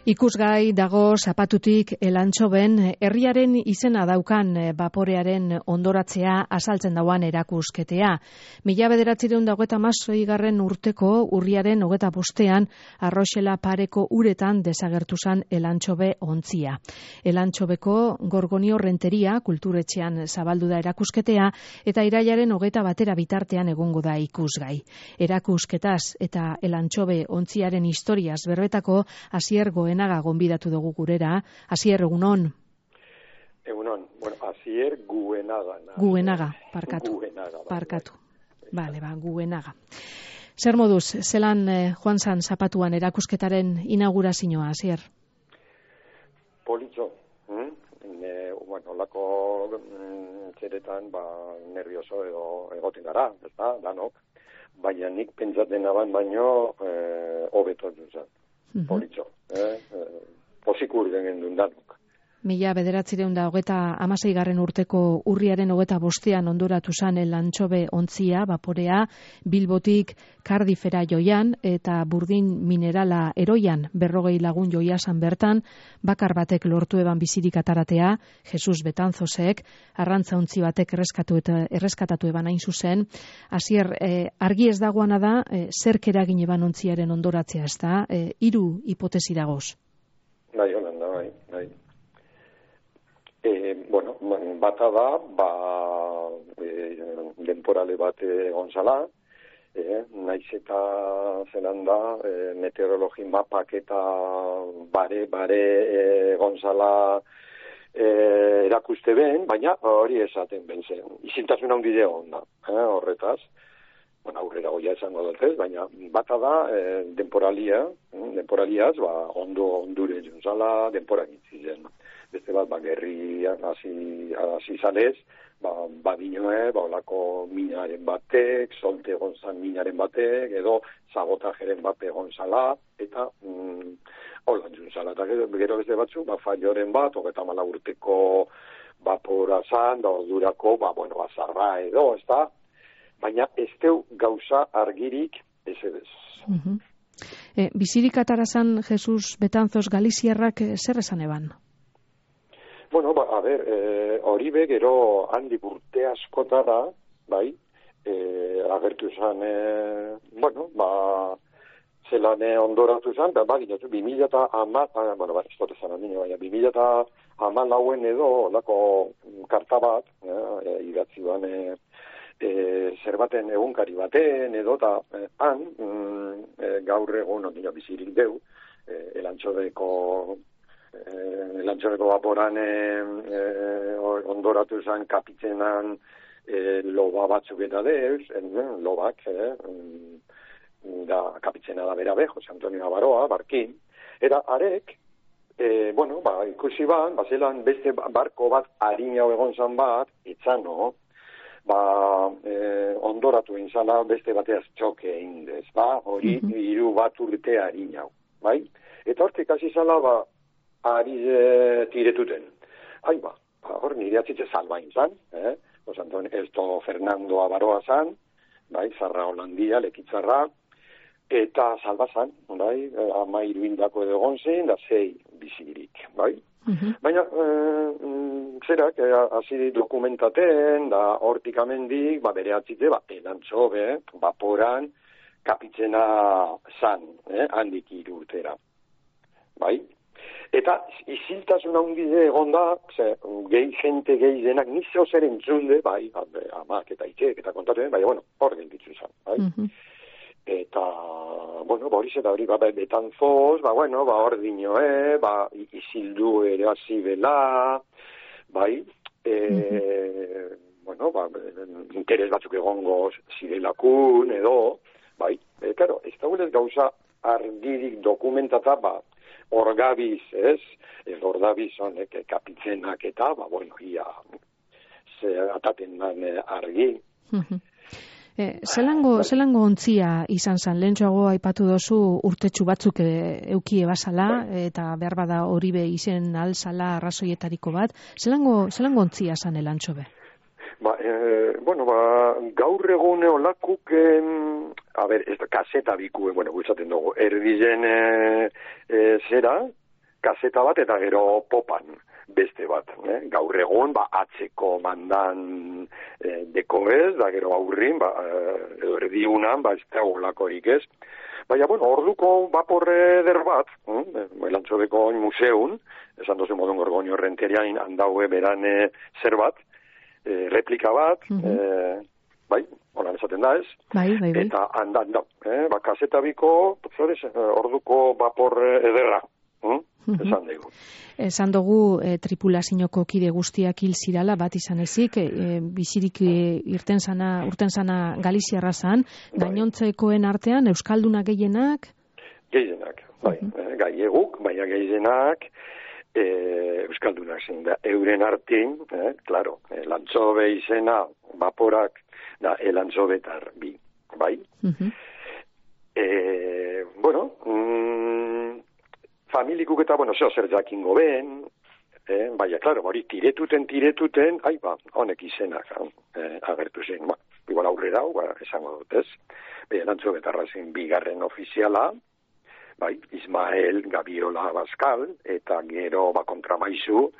Ikusgai dago zapatutik Elantxoben herriaren izena daukan baporearen ondoratzea azaltzen dauan erakusketea. 1926 urteko urriaren 25ean Arroxela pareko uretan desagertu zan Elantxobe ontzia. Elantxobeko Gorgonio Renteria kulturetxean zabaldu da erakusketea eta irailaren 21 bitartean egongo da ikusgai. Erakusketaz eta Elantxobe ontziaren historiaz berbetako Asier Goenaga gonbidatu dugu gurera. Asier, egunon. Egunon. Bueno, Asier Guenaga. Guenaga, parkatu. Parkatu. Vale, Guenaga. Zer moduz, zelan joan zan zapatuan erakusketaren inaugurazioa, Asier? Politxo. Bueno, lako txeretan, nervioso edo egoten gara, ez da, danok. Baina nik pentsaten aban baino hobeto duzan. Politxo. Posikur den danok. 1926 urteko urriaren 25ean ondoratu zan Elantxobe ontzia, baporea, Bilbotik Cardiffera joian eta burdin minerala eroian 40 lagun joia zan bertan, bakar batek lortu eban bizirik ataratea, Jesus Betanzosek, arrantza ontzi batek erreskatatu eban hain zuzen. Asier, argi ez dagoana da, zerk eragin eban ontziaren ondoratzea, ez da? 3 hipotesi dagoz. Bai, Holanda, bai. Bueno, bata da, denporale bat gonzala, naiz eta zelan da, meteorologi mapak eta bare gonzala erakuste ben, baina hori esaten ben zen. Izintasun handi deon da, horretaz. Bueno, aurrera goia esango dut ez, baina bata da, denporaliaz, ondure jonzala, denpora gitzizen. Beste bat, gerrian hasi zalez, badinoe, olako minaren batek, solte gonzan minaren batek, edo zagotajeren bate gonzala, eta hola juntzala. Eta gero beste batzu, falloren bat, 34 urteko bapora zan, da ordurako, azarra edo, ez da? Baina ez deu gauza argirik ez edez. Bizirik atarazan Jesus Betanzos Galiziarrak zer esan eban? Bueno, hori gero handik urte askotara, bai, agertu zen, zelan ondoratu zen, ginatu, 2014 edo, lako karta bat, idatzi ban, zerbaten egunkari baten, edo, eta han, gaur egun, bizirik deu, Elantxobeko baporan ondoratu zen kapitzenan loba batzuk eta deuz, lobak, da kapitzena da bera be, Jose Antonio Baroa, barkin, eta arek, ikusi zelan beste barko bat harina egon zan bat, etzano, ondoratu inzala beste bateaz txoke indez, hori 3 bat urte harina, bai? Eta hortik hasi zala, ari tiretuten. Hor nire atzitze salbain zan, Jose Antonio Elto Fernando Abaroa zan, bai, zarra Holandia, lekitzarra, eta salba zan, bai, 13 indako edo gonzen, da 6 bizirik, bai? Baina, zerak, hasi dokumentaten, da hortik amendik, bere atzitze, Elantxobe, baporan, kapitzena zan, handik 3 urtera, bai? Eta iziltasun handide egon da, jente gehi denak nizo zer entzunde, bai, amak eta itxek eta kontatuen, bai, hor gelditzu izan, bai. Eta, hori zeta hori, Betanzos, hor dinoe, izildu ere hasi bela, bai, interes batzuk egongo zirelakun, edo, bai, karo, ez da gulez gauza argirik dokumentata, orgabiz, ez? Orgabiz honek kapitzenak eta, ia, ataten dan argi. Zelango ontzia izan zan, lehentxoago aipatu dozu urtetxu batzuk eukie basala, eta behar bada hori be izen alzala arrazoietariko bat. Zelango ontzia zan Elantxobe? Gaur egune olakuk, ez da kaseta biku, gutzaten dugu, erdizen zera, kaseta bat eta gero popan beste bat. Gaur egon, atzeko mandan deko ez, da gero aurrin, edo erdiunan, ez da olakorik ez. Baina, orduko baporre eder bat, Elantxobeko museun, esan dozu modun Gorgonio Renteriain handaue beran zer bat, replika bat, holan esaten da ez, eta handan da, kaseta biko, orduko baporre ederra, esan dugu. Esan dugu tripulazioko kide guztiak hil zirala bat izan ezik, bizirik urten sana Galiziarra zan, gainontzekoen artean Euskaldunak gehienak? Gehienak, gaieguk, baina gehienak Euskaldunak zen da, euren artin, klaro, Elantxobe izena, baporak, da, Elantxobetar bi, bai? Familikuk eta, zeo zer jakingo ben, baina, klaro, hori tiretuten, honek izenak agertu zen, igual aurrera, esango dut ez, Elantxobetarra zen bigarren ofiziala, Ismael Gabiola Abascal, eta gero kontramaizu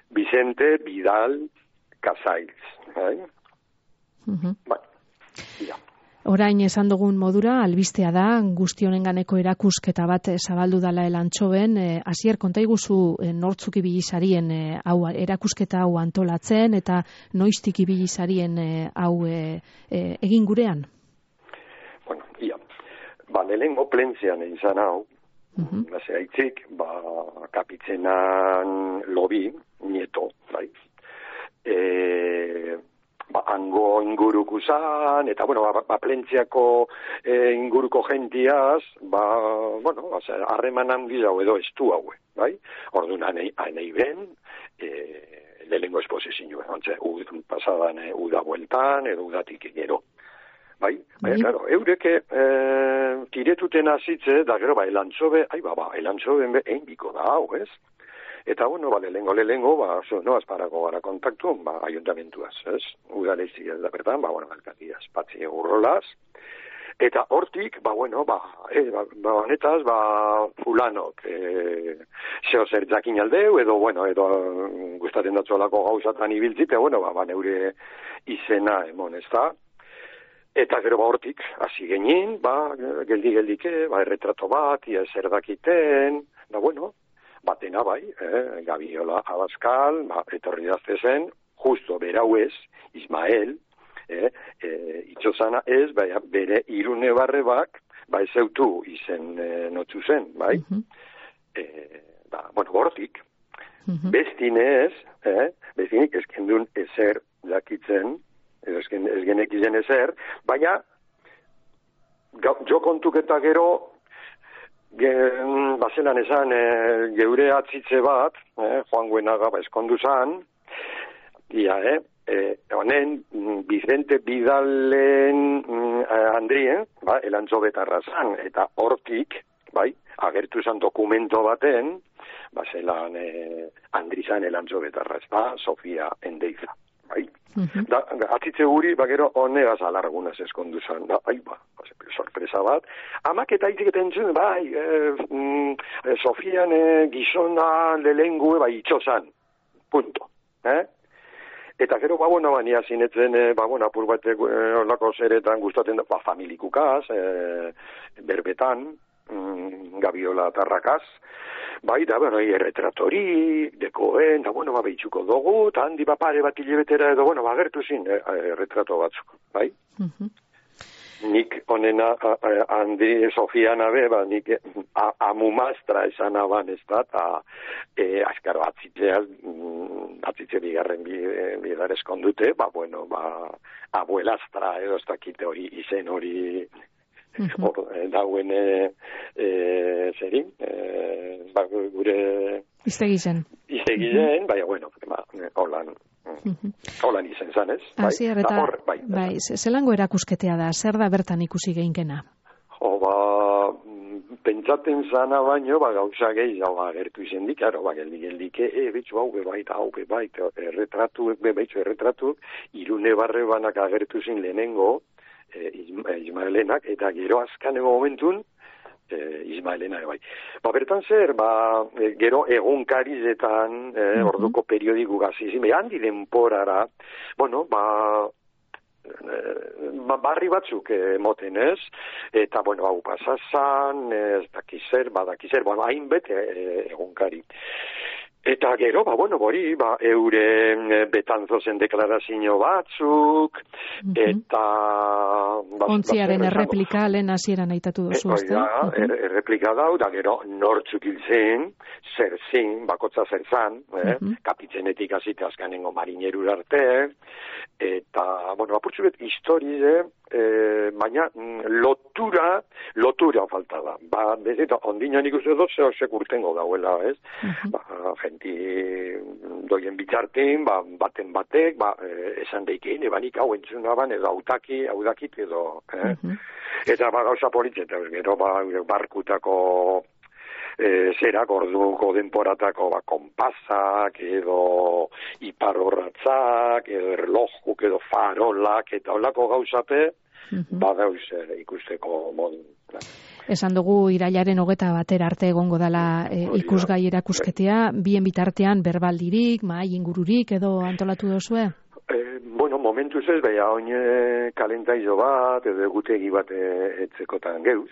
Vicente Vidal Casails. Orain esan dugun modura, albistea da, guzti honenganeko erakusketa bat zabaldu dala Elantxoben. Asier, konta iguzu nortzuk ibili zarien erakusketa hau antolatzen, eta noiztik ibili zarien hau egin gurean? Lehengo plentzean izan hau, haitzik, kapitzenan lobi, nieto, hango inguruko zan, eta, plentzeako inguruko gentiaz, harreman handi hau edo estu hau, Orduan, anei ben, lehengo esposizio, pasadan uda bueltan, edo udatik gero. Claro, eureke tiretuten azitze, da gero, Elantxobe, Elantxoben egin biko da hau, ez? Eta, lehengo, azparako gara kontaktu, ayuntamentuaz, ez? Udalezi ez da bertan, alkatiaz, patzi egurrolaz, eta hortik, honetaz, fulanok, zeo zer jakin aldeu, edo gustaten datzuelako gauzatan ibiltzite, neure izena emon, ez da? Eta gero hortik, hasi genin, geldi-geldike, erretrato bat, ia zer dakiten, batena Gabiola Abascal, etorri dazte zen, justo berauez, Ismael, itxozana ez, bere irune barre bak, ez zeutu izen notzu zen, hortik, bestinez, bestinik ezkendun ezer dakitzen, ez genek izen ezer, baina jo kontuk eta gero bazelan esan geure atzitze bat, Juan Guenaga eskondu zan, honen Vicente Vidalen Andrien, Elantxobetarra zan, eta hortik, agertu zan dokumento baten, bazelan Andrizan Elantxobetarra, Sofia Endeiza. Atzitze guri, gero honegaz alargunaz eskondu zan, sorpresa bat. Amak eta itziketen zuen, Sofian gizona lehengue, itxozan, punto. Eta gero, bania zinetzen, apur batek olako zeretan gustaten da, familikukaz, berbetan, Gabiola Tarrakaz, erretratori, dekoen, behitxuko dugu, eta handi pare bat hilebetera edo, agertu zin, erretrato batzuk, Nik honena, handi Sofiana nik amumastra esan aban ez da, eta azkaro atzitze bigarren bidar eskondute, abuelastra edo ez dakite hori, izen hori, dauen zerin, gure iztegizen, holan izen zan, ez? Zelango erakusketea da, zer da bertan ikusi geinkena? Pentsaten zana baino, gauza gehiago agertu izen dik, geldike, betxu hau bebait, erretratu, irune barre banak agertu zen lehenengo, Ismaelenak, eta gero azkaneko momentun, Ismaelena, bai. Bertan zer, gero egunkarizetan, orduko periodiku gazizim, handi denporara, barri batzuk moten, ez? Eta, hau pasazan, ez dakizer, hainbete egunkari. Eta gero, euren betanzozen deklarazio batzuk, eta... Ontziaren erreplika lehen hasieran aitatu duzu, ez da? Erreplika dau, da gero nortzuk hilzen, zerzin, bakotza zerzan, kapitzenetik azite azkanengo marinerur arte, eta, apurtzu bet, historize, baina lotura falta da. Ondino nik uste dut zehosek urtengo dauela, ez? Genti doien bitartin, baten batek, esan deikein, ebanik hau entzunaban, edo haudakit edo, eta gauza politxeta, gero barkutako zerak orduko denporatako konpasak, edo iparorratzak, edo erlojuk, edo farolak, eta holako gauzape, badauz ikusteko modu. Esan dugu irailaren 21 arte egongo dela ikusgai erakusketea, bien bitartean berbaldirik, mahai ingururik edo antolatu duzue? Momentuz ez, oin kalentaizo bat, edo egutegi bat etzekotan geuz.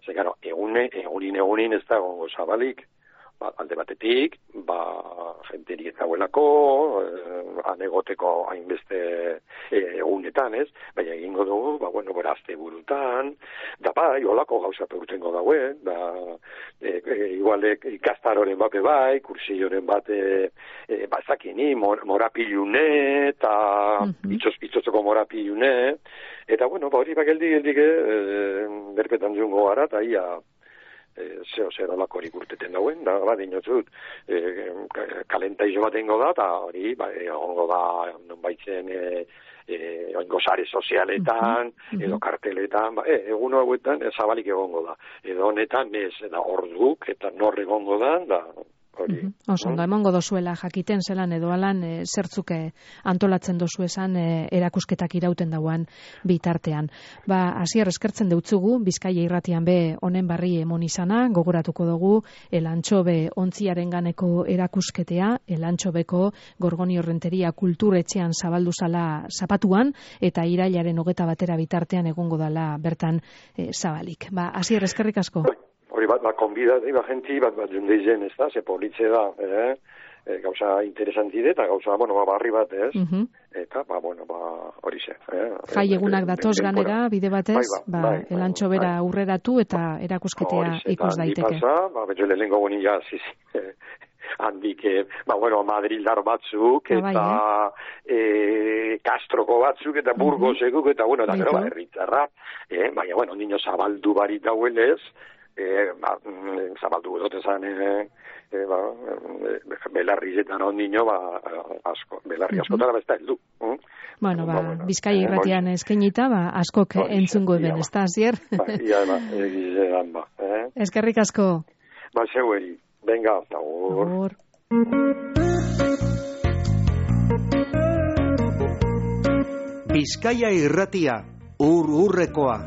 Zekaro, egunin ez da gongo zabalik, alde batetik, jenterik ez dauelako, anegoteko hainbeste egunetan, ez? Baina egingo dugu, azte burutan, da olako gauza pegutengo dauen, igual ikastaroren bate kursioren bate, bazakini, morapilune, eta itzotzeko morapilune, eta hori geldik, berpetan zungo gara, eta ia, zer olako hori urteten dauen, dinotzut, kalentaizo bat ingo da, eta hori, ongo da, non baitzen, oingo sare sozialetan, edo karteletan, egun hauetan zabalik egongo da. Edo honetan ez, da orduk, eta nor egongo da, hori. Osondo, emongo dozuela jakiten zelan edo alan zertzuke antolatzen dozu esan erakusketak irauten dauan bitartean. Hasier eskertzen deutzugu, Bizkaia irratian be honen barri emon izana, gogoratuko dugu Elantxobe ontziaren ganeko erakusketea, Elantxobeko Gorgoni Horrenteria kulturetxean zabaldu zala zapatuan, eta irailaren 21 bitartean egongo dala bertan zabalik. Hasier eskerrik asko. Hori konbida, genti jundeizen, ez da, ze politze da, gauza interesantide, eta gauza, barri bat, ez? Eta, hori ze. Jai egunak datoz ganera, bide batez, Elantxobera aurreratu eta erakusketea ikus daiteke. Hori ze, betxo lehenko goni jaziz, handik, Madrildar batzuk, eta Kastroko batzuk, eta Burgosekuk, eta, da gero, herritzarra, baina, nino zabaldu barit dauelez, zabaldu dut esan belarrizetan ondino belarri askotara besta heldu. Bizkaia irratian eskainita askok entzungo ben, ez da, Asier? Eskerrik asko. Zeueri, venga, agur. Bizkaia irratia, urrekoa.